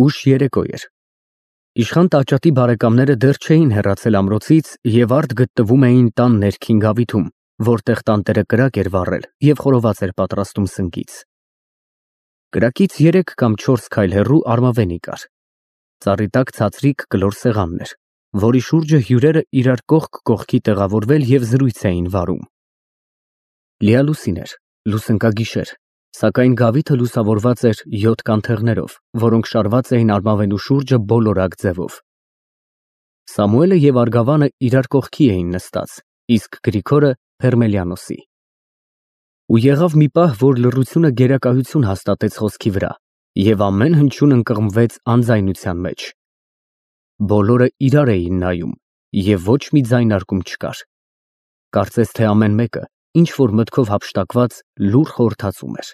Ուշ երեկո էր։ Իշխան տաճատի բարեկամները դեռ չէին հեռացել ամրոցից և արդ գտնվում էին տան ներքին գավիթում, որտեղ տանտերը կրակ էր վառել և խորոված էր պատրաստում սնկից։ Կրակից 3 կամ 4 քայլ հեռու արմավենի կար։ Ծառի տակ ցածրիկ կլոր սեղանն էր, որի շուրջը հյուրերը իրար կողք կողքի տեղավորվել և զրույց էին վարում։ Լիալուսին էր, լուսնկագիշեր, սակայն գավիթը լուսավորված էր 7 կանթեղներով, որոնք շարված էին արմավենու շուրջը բոլորակ ձևով։ Սամուելը և Արգավանը իրար կողքի էին նստած, իսկ Գրիգորը Փերմելիանոսի։ Ու եղավ մի պահ, որ լռությունը գերակայություն հաստատեց խոսքի վրա, և ամեն հնչյուն ընկղմվեց անձայնության մեջ։ Բոլորը իրար էին նայում, և ոչ մի ձայնարկում չկար։ Կարծես թե ամեն մեկը ինչ-որ մտքով հափշտակված լուռ խորհրդածում էր։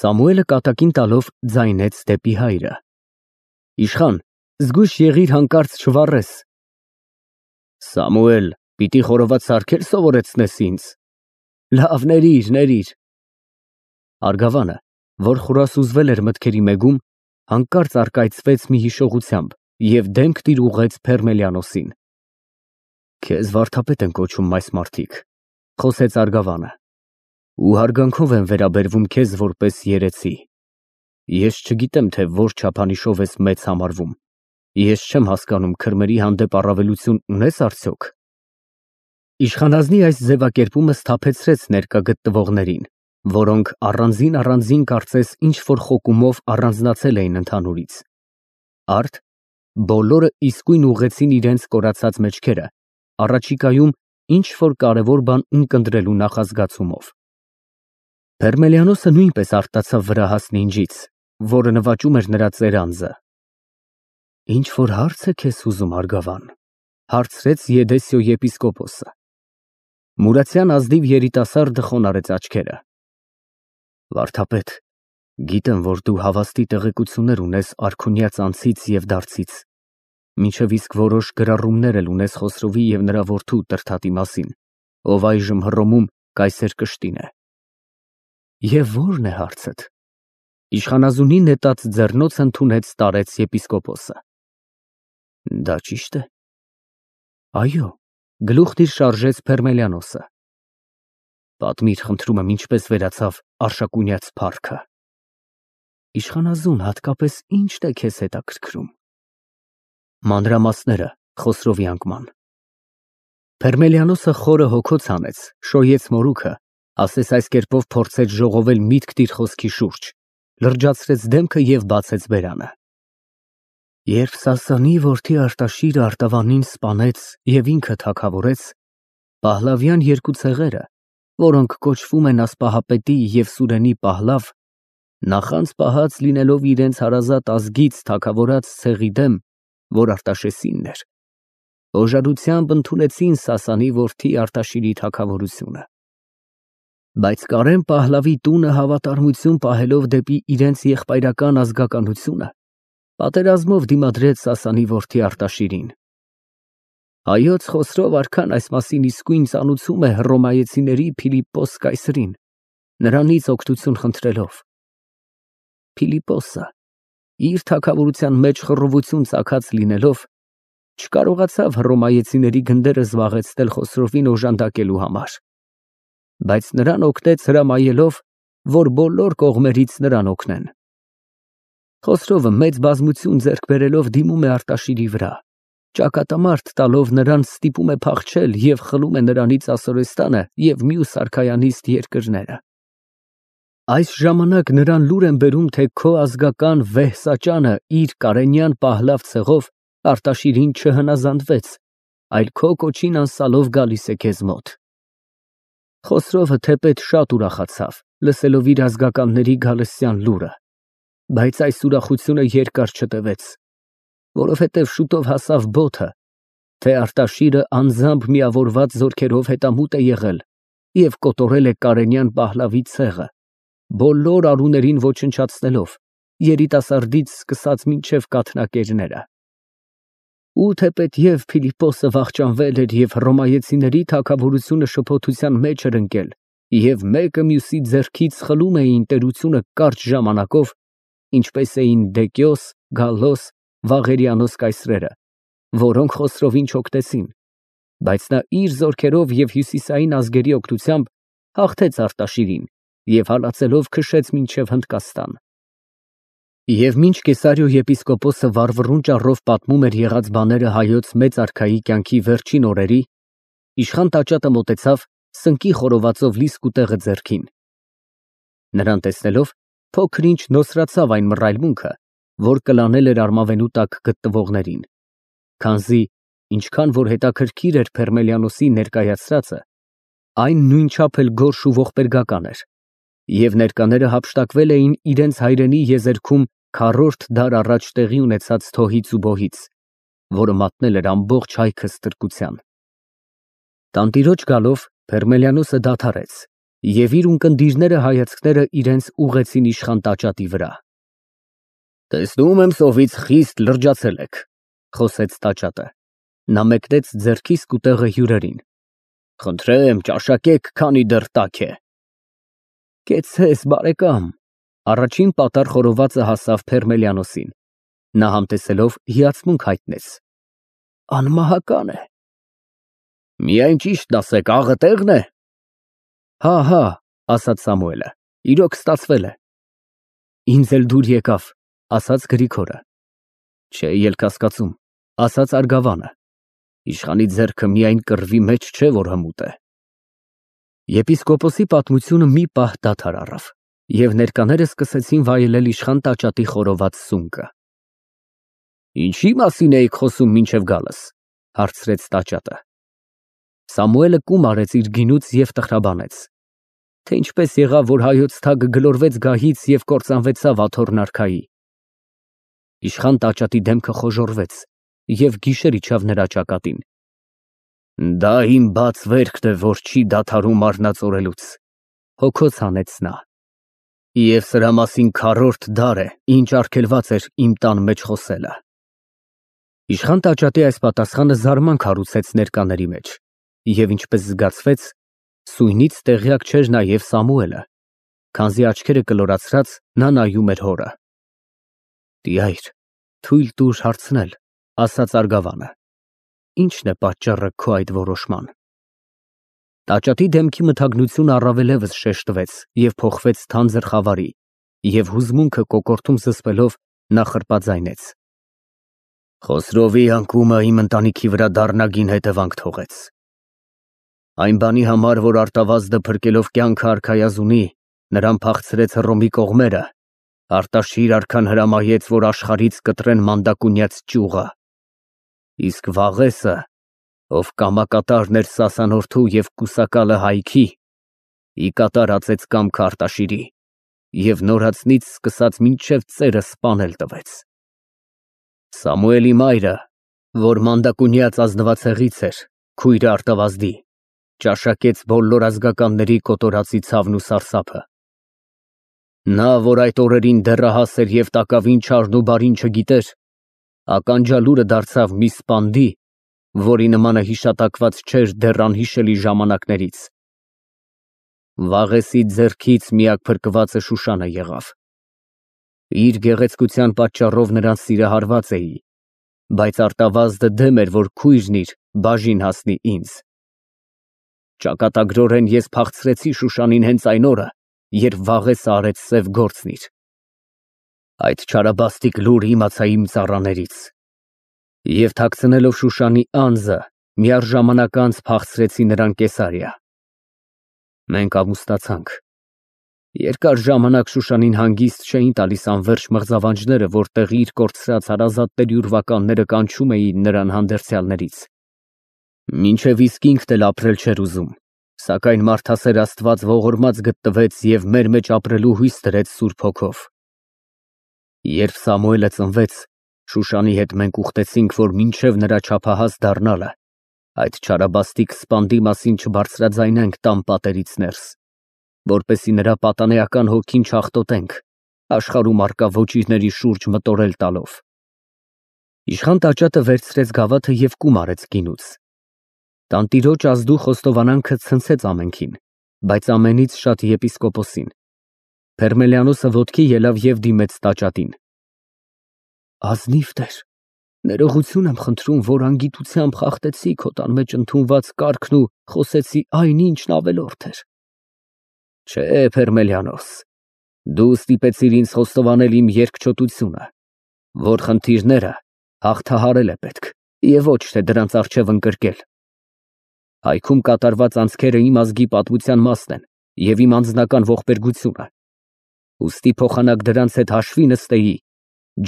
Սամուելը կատակին տալով ձայնեց դեպի հայրը. Իշխան, զգույշ եղիր հանկարծ չվառես։ Սամուել, պիտի խորոված սարքել սովորեցնես ինձ։ Լավ, ներիր։ Արգավանը, որ խորասուզվել էր մտքերի մեգում, հանկարծ առկայծվեց մի հիշողությամբ և դեմք տիրուղեց Փերմելիանոսին։ Քեզ վարդապետ են կոչում այս մարդիկ, խոսեց Արգավանը, ու հարգանքով են վերաբերվում քեզ որպես երեցի։ Ես չգիտեմ, թե որ չափանիշով ես մեծ համարվում։ Ես չեմ հասկանում քրմերի հանդեպ առավելություն ունես արդյոք։ Իշխանազնի այս ձևակերպումը սթափեցրեց ներկա գտնվողներին, որոնք առանձին կարծես ինչ-որ խոկումով առանձնացել էին ընդհանուրից։ Արդ բոլորը իսկույն ուղղեցին իրենց կորացած մեջքերը, առաջիկայում ինչ-որ կարևոր բան ունկնդրելու նախազգացումով։ Փերմելիանոսը նույնպես արտացավ վրա հասնինջից, որը նվաճում էր նրա ծերանձը։ Ինչ-որ հարց է քեզ ուզում, Արգավան, հարցրեց Եդեսիո եպիսկոպոսը։ Մուրացյան ազնիվ երիտասարդը խոնարհեց աչքերը։ Վարդապետ, գիտեմ, որ դու հավաստի տեղեկություններ ունես արքունյաց անցից և դարձից, մինչև իսկ որոշ գրառումներ էլ ունես Խոսրովի և նրա որդու Տրդատի մասին, ով այժմ Հռոմում կայսեր կշտին է։ Եվ ո՞րն է հարցդ։ Իշխանազունի նետած ձեռնոց ընդունեց տարեց եպիսկոպոսը։ Դա ճիշտ է։ Այո, գլուխն իր շարժեց Փերմելիանոսը։ Պատմիր, խնդրում եմ, ինչպես վերացավ Արշակունյաց փառքը։ Իշխանազուն, հատկապես ի՞նչն է քեզ հետաքրքրում։ Մանրամասները Խոսրովի անկման։ Փերմելիանոսը խորը հոգոց հանեց, շոյեց մորուքը, ասես այս կերպով փորձեց ժողովել միտք տիր խոսքի շուրջ, լրջացրեց դեմքը և բացեց բերանը։ Երբ Սասանի որդի Արտաշիրը Արտավանին սպանեց և ինքը թագավորեց, Փահլավյան երկու ցեղերը, որոնք կոչվում են Ասպահապետի և Սուրենի Պահլավ, նախանձ պահած լինելով իրենց հարազատ ազգից թագավորած ցեղի դեմ, որ Արտաշեսինն էր, հոժարությամբ ընդունեցին Սասանի որդի Արտաշիրի թագավորությունը։ Բայց Կարեն Պահլավի տունը հավատարմություն պահելով դեպի իրենց եղբայրական ազգականությունը, պատերազմով դիմադրեց Սասանի որդի Արտաշիրին։ Հայոց Խոսրով արքան այս մասին իսկույն ծանուցում է հռոմայեցիների Փիլիպպոս կայսրին, նրանից օգնություն խնդրելով։ Փիլիպպոսը, իր թագավորության մեջ խռովություն ծագած լինելով, չկարողացավ հռոմայեցիների գնդերը զբաղեցնել Խոսրովին օժանդակելու համար, բայց նրան օգնեց հրամայելով, որ բոլոր կողմերից նրան օգնեն։ Խոսրովը մեծ բազմություն ձեռք բերելով դիմում է Արտաշիրի վրա, ճակատամարտ տալով նրան ստիպում է փախչել և խլում է նրանից Ասորեստանը և մյուս արքայանիստ երկրները։ Այս ժամանակ նրան լուր են բերում, թե քո ազգական Վեհսաճանը իր Կարենյան Պահլավ ցեղով Արտաշիրին չհնազանդվեց, այլ քո կոչին անսալով գալիս է քեզ մոտ։ Խոսրովը թեպետ շատ ուրախացավ, լսելով իր ազգականների գալստյան լուրը, բայց այս ուրախությունը երկար չտևեց, որովհետև շուտով հասավ բոթը, թե Արտաշիրը անձամբ միավորված զորքերով հետամուտ է եղել և կոտորել է Կարենյան Պահլավի ցեղը, բոլոր արուներին ոչնչացնելով, երիտասարդից սկսած մինչև կաթնակերները։ Ու թեպետև Փիլիպպոսը վախճանվել էր և հռոմայեցիների թագավորությունը շփոթության մեջ էր ընկել և մեկը մյուսի ձեռքից խլում էին տերությունը կարճ ժամանակով, ինչպես էին Դեկյոս, Գալլոս, Վաղերյանոս կայսրերը, որոնք Խոսրովին չօգտեցին, բայց նա իր զորքերով և հյուսիսային ազգերի օգնությամբ հաղթեց Արտաշիրին և հալածելով քշեց մինչև Հնդկաստան։ Եվ մինչ Կեսարիո եպիսկոպոսը վառվռուն ճառով պատմում էր եղած բաները հայոց մեծ արքայի կյանքի վերջին օրերի, իշխան տաճատը մոտեցավ սնկի խորովածով լի սկուտեղը ձեռքին։ Նրան տեսնելով փոքր-ինչ նոսրացավ այն մռայլմունքը, որ կլանել էր արմավենու տակ գտնվողներին, քանզի ինչքան որ հետաքրքիր էր Փերմելիանոսի ներկայացրածը, այն նույնչափ էլ գորշ ու ողբերգական էր, և ներկաները հափշտակվել էին իրենց հայրենի եզերքում քառորդ դար առաջ տեղի ունեցած թոհից ու բոհից, որը մատնել էր ամբողջ հայքը ստրկության։ Տանտիրոջ գալով Փերմելիանոսը դադարեց, և իր ունկնդիրները հայացքները իրենց ուղղեցին իշխան տաճատի վրա։ «Տեսնում եմ սովից խիստ լրջացել եք», խոսեց տաճատը։ Նա մեկնեց ձեռքի սկուտեղը հյուրերին։ «Խնդրեմ, ճաշակեք, քանի դեռ տաք է»։ «Կեցցես, բարեկամ»։ Առաջին պատառ խորովածը հասավ Փերմելիանոսին։ Նա համտեսելով հիացմունք հայտնեց։ «Անմահական է»։ «Միայն ճիշտն ասեք, աղը տեղ՞ն է»։ Հա, ասաց Սամուելը, իրոք ստացվել է։ «Ինձ էլ դուր եկավ», ասաց Գրիգորը։ «Չէ, ելք հասկացում», ասաց Արգավանը։ «Իշխանի ձեռքը միայն կռվի մեջ չէ, որ հմուտ է»։ Եպիսկոպոսի պատմությունը մի պահ դադար առավ, և ներկաները սկսեցին վայելել իշխան տաճատի խորոված սունկը։ «Ինչի՞ մասին էիք խոսում մինչև գալս», հարցրեց տաճատը։ Սամուելը կում արեց իր գինուց և տխրաբանեց, թե ինչպես եղավ, որ հայոց թագը գլորվեց գահից և կործանվեցավ Աթոռն արքայի։ Իշխան տաճատի դեմքը խոժոռվեց, և գիշեր իջավ նրա ճակատին։ «Դա իմ բաց վերքն է, որ չի դադարում արնածորելուց», հոգոց հանեց նա։ «Եվ սրա մասին քառորդ դար է, ինչ արգելված էր իմ տան մեջ խոսելը»։ Իշխան տաճատի այս պատասխանը զարմանք հարուցեց ներկաների մեջ, և ինչպես զգացվեց, սույնից տեղյակ չէր նաև Սամուելը, քանզի աչքերը կլորացրած նա նայում էր հորը։ «Տյայր, թույլ տուր հարցնել», ասաց Արգավանը։ «Ի՞նչն է պատճառը քո այդ որոշման»։ Տաճատի դեմքի մթագնությունը առավելևս շեշտվեց և փոխվեց թանձր խավարի, և հուզմունքը կոկորդում զսպելով նա խրպաձայնեց. «Խոսրովի անկումը իմ ընտանիքի վրա դառնագին հետևանք թողեց։ Այն բանի համար, որ Արտավազդը փրկելով կյանքը արքայազունի, նրան փախցրեց Հռոմի կողմերը, Արտաշիր արքան հրամայեց, որ աշխարհից կտրեն մանդակունյաց ճյուղը։ Իսկ Վաղեսը, ով կամակատարն էր Սասանորթու և կուսակալը Հայքի, ի կատար ածեց կամքը Արտաշիրի և նորածնից սկսած մինչև ծերը սպանել տվեց։ Սամուելի մայրը, որ մանդակունյաց ազնվացեղից էր, քույրը Արտավազդի, ճաշակեց բոլոր ազգականների կոտորածի ցավն ու սարսափը։ Նա, որ այդ օրերին դեռահաս էր և տակավին չարն ու բարին չգիտեր, ականջալուրը դարձավ մի սպանդի, որի նմանը հիշատակված չէր դեռ անհիշելի ժամանակներից։ Վաղեսի ձեռքից միակ փրկվածը Շուշանը եղավ։ Իր գեղեցկության պատճառով նրան սիրահարված էի, բայց Արտավազդը դեմ էր, որ քույրն իր բաժին հասնի ինձ։ Ճակատագրորեն ես փախցրեցի Շուշանին հենց այն օրը, երբ Վաղեսը արեց սև գործն իր։ Այդ չարաբաստիկ լուրը իմացա իմ ծառաներից, և թաքցնելով Շուշանի անձը, միառժամանակ անց փախցրեցի նրան Կեսարիա։ Մենք ամուսնացանք։ Երկար ժամանակ Շուշանին հանգիստ չէին տալիս անվերջ մղձավանջները, որտեղ իր կորցրած հարազատների ուրվականները կանչում էին նրան հանդերձյալներից։ Մինչև իսկ ինքն էլ ապրել չէր ուզում, սակայն մարդասեր Աստված ողորմած գտնվեց և մեր մեջ ապրելու հույս դրեց Սուրբ Հոգով։ Երբ Սամուելը ծնվեց, Շուշանի հետ մենք ուխտեցինք, որ մինչև նրա չափահաս դառնալը այդ չարաբաստիկ սպանդի մասին չբարձրաձայնենք տան պատերից ներս, որպեսզի նրա պատանեական հոգին չաղտոտենք, աշխարհում առկա ոճիրների շուրջ մտորել տալով։ Իշխան տաճատը վերցրեց գավաթը և կում արեց գինուց։ Տանտիրոջ ազդու խոստովանանքը ցնցեց ամենքին, բայց ամենից շատ եպիսկոպոսին։ Փերմելյանոսը ոտքի ելավ եւ դիմեց տաճատին։ Ազնիվ Տեր, ներողություն եմ խնդրում, որ անգիտությամբ խախտեցի քո տան մեջ ընդունված կարգն ու խոսեցի այն, ինչն ավելորդ էր։ Չէ, Փերմելյանոս, դու ստիպեցիր ինձ խոստովանել իմ երկչոտությունը, որ խնդիրները հաղթահարել է պետք եւ ոչ թե դրանց առջեւ ընկրկել։ Հայքում կատարված անցքերը իմ ազգի պատմության մասն են եւ իմ անձնական ողբերգությունը։ Ուստի փոխանակ դրանց հետ հաշվի նստեի,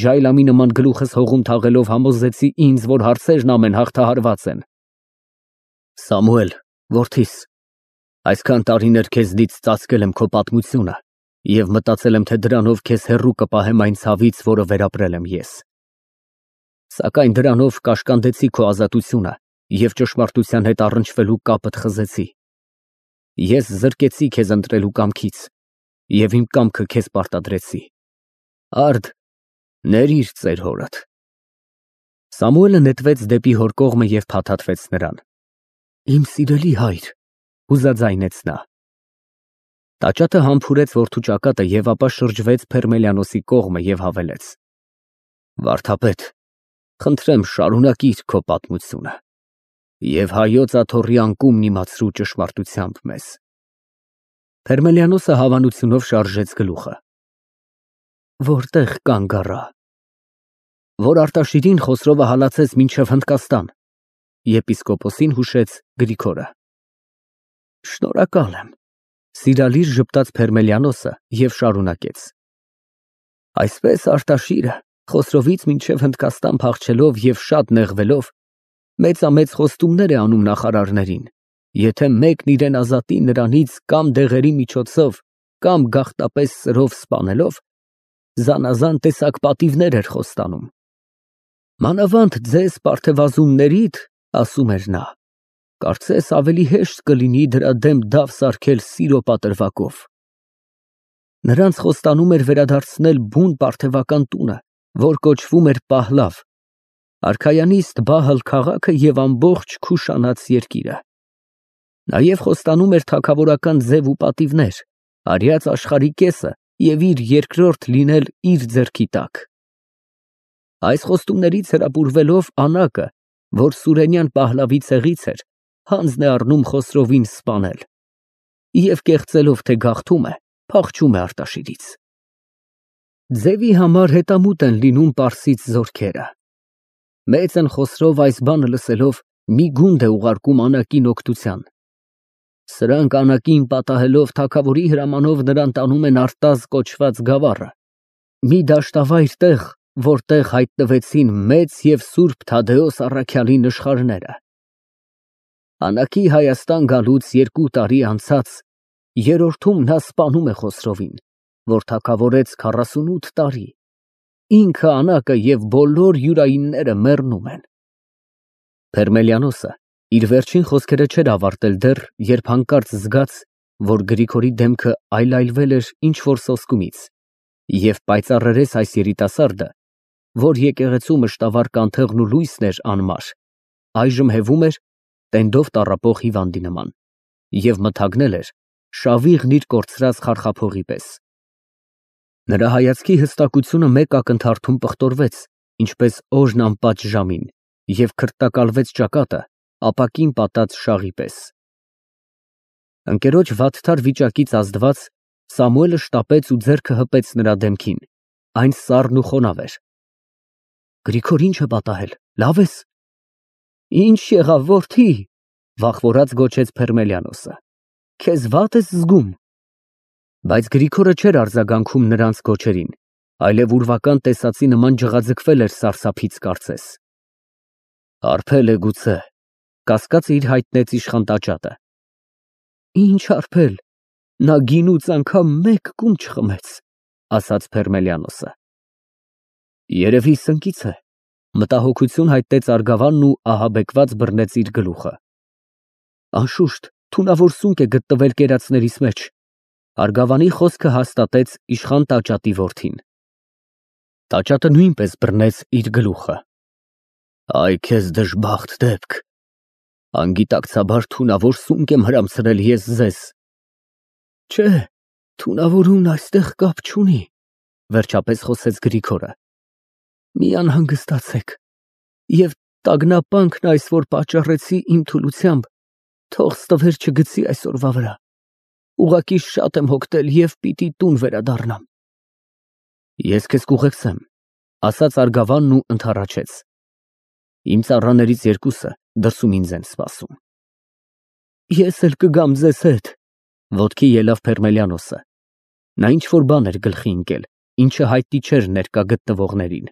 ջայլամի նման գլուխս հողում թաղելով համոզեցի ինձ, որ հարցերն ամեն հաղթահարված են։ Սամուել, որդիս, այսքան տարիներ քեզնից ծածկել եմ քո պատմությունը եւ մտածել եմ, թե դրանով քեզ հեռու կպահեմ այն ցավից, որը վերապրել եմ ես։ Սակայն դրանով կաշկանդեցի քո ազատությունը եւ ճշմարտության հետ առնչվելու կապդ խզեցի։ Ես զրկեցի քեզ ընտրելու կամքից եւ իմ կամքը քեզ պարտադրեցի։ Արդ, ներիր ծեր հորդ։ Սամուելը նետվեց դեպի հոր կողմը եւ փաթաթվեց նրան։ Իմ սիրելի հայր, հուզաձայնեց նա։ Տաճատը համբուրեց որդու ճակատը եւ ապա շրջվեց Փերմելյանոսի կողմը եւ հավելեց. Վարդապետ, խնդրեմ շարունակիր քո պատմությունը եւ հայոց աթոռի անկումն իմացրու ճշմարտությամբ մեզ։ Փերմելյանոսը հավանությունով շարժեց գլուխը։ Որտեղ կանգ առա։ Որ Արտաշիրին Խոսրովը հալածեց մինչև Հնդկաստան, եպիսկոպոսին հուշեց Գրիգորը։ Շնորհակալ եմ, սիրալիր ժպտաց Փերմելյանոսը եւ շարունակեց։ Այսպես Արտաշիրը Խոսրովից մինչև Հնդկաստան փախչելով եւ շատ նեղվելով, մեծամեծ խոստումներ է անում նախարարներին, եթե մեկն իրեն ազատի նրանից կամ դեղերի միջոցով, կամ գաղտապես սրով սպանելով, զանազան տեսակ պատիվներ էր խոստանում։ Մանավանդ ձեզ պարթևազուններիդ, ասում էր նա, կարծես ավելի հեշտ կլինի դրա դեմ դավ սարքել սիրո պատրվակով։ Նրանց խոստանում էր վերադարձնել բուն պարթևական տունը, որ կոչվում էր Պահլավ, արքայանիստ Բահլ քաղաքը եւ ամբողջ Քուշանաց երկիրը։ Նաև խոստանում էր թագավորական ձև ու պատիվներ, արյաց աշխարհի կեսը եւ իր երկրորդ լինել իր ձեռքի տակ։ Այս խոստումներից հրապուրվելով Անակը, որ Սուրենյան Պահլավի ցեղից էր, հանձն է առնում Խոսրովին սպանել եւ կեղծելով, թե գաղթում է, փախչում է Արտաշիրից։ Ձևի համար հետամուտ են լինում Պարսից զորքերը։ Մեծ են Խոսրով այս բանը լսելով մի գունդ է ուղարկում Անակին օգնության։ Սրանք Անակին պատահելով թագավորի հրամանով նրան տանում են Արտազ կոչված գավառը, մի դաշտավայր տեղ, որտեղ հայտնվեցին մեծ եւ սուրբ Թադեոս առաքյալի նշխարները։ Անակի Հայաստան գալուց 2 տարի անցած, երրորդում նա սպանում է Խոսրովին, որ թագավորեց 48 տարի։ Ինքը Անակը եւ բոլոր յուրայինները մեռնում են։ Փերմելյանոսը իր վերջին խոսքերը չէր ավարտել դեռ, երբ հանկարծ զգաց, որ Գրիգորի դեմքը այլայլվել էր ինչ-որ սոսկումից, եւ պայծառերես այս երիտասարդը, որ եկեղեցու մշտավար կանթեղն ու լույսն էր անմար, այժմ հևում էր տենդով տառապող հիվանդի նման, եւ մթագնել էր շավիղն իր կորցրած խարխափողի պես։ Նրա հայացքի հստակությունը մեկ ակնթարթում պղտորվեց, ինչպես օրն անպաճ ժամին, եւ քրտակալվեց ճակատը ապակին պատած շաղի պես։ Ընկերոջ վատթար վիճակից ազդված Սամուելը շտապեց ու ձեռքը հպեց նրա դեմքին, այն սառն ու խոնավ էր։ Գրիգոր ինչ է պատահել, լավ ես։ Ինչ եղավ, որդի, վախվորած գոչեց Փերմելյանոսը։ Քեզ վատ ես զգում։ Բայց Գրիգորը չէր արձագանքում նրանց գոչերին, այլև ուրվական տեսածի նման ջղաձգվել էր սարսափից կարծես։ Արփել է գուցե, կասկածը իր հայտնեց իշխան տաճատը։ Ինչ արփել, նա գինուց անգամ մեկ կում չխմեց, ասաց Փերմելյանոսը։ Երևի սնկից է, մտահոգություն հայտնեց Արգավանն ու ահաբեկված բռնեց իր գլուխը։ Անշուշտ, թունավոր սունկ է գտնվել կերածներից մեջ։ Արգավանի խոսքը հաստատեց իշխան տաճատի որդին։ Տաճատը նույնպես բռնեց իր գլուխը։ Այ քեզ դժբախտ դեպք։ Անգիտակցաբար թունավոր սունկ եմ հրամցրել ես ձեզ։ Չէ, Թունավորումն այստեղ կապ չունի, վերջապես խոսեց Գրիգորը։ Մի անհանգստացեք, եւ տագնապանքն այս, որ պատճառեցի իմ թուլությամբ, թող ստվեր չգցի այսօրվա վրա։ Ուղղակի շատ եմ հոգնել եւ պիտի տուն վերադառնամ։ Ես քեզ կուղեկցեմ, ասաց Արգավանն ու ընդառաջեց։ Իմ ծառաներից երկուսը դրսում ինձ են սպասում։ Ես էլ կգամ ձեզ հետ, ոտքի ելավ Փերմելիանոսը։ Նա ինչ-որ բան էր գլխի ընկել, ինչը հայտնի չէր ներկա գտնվողներին։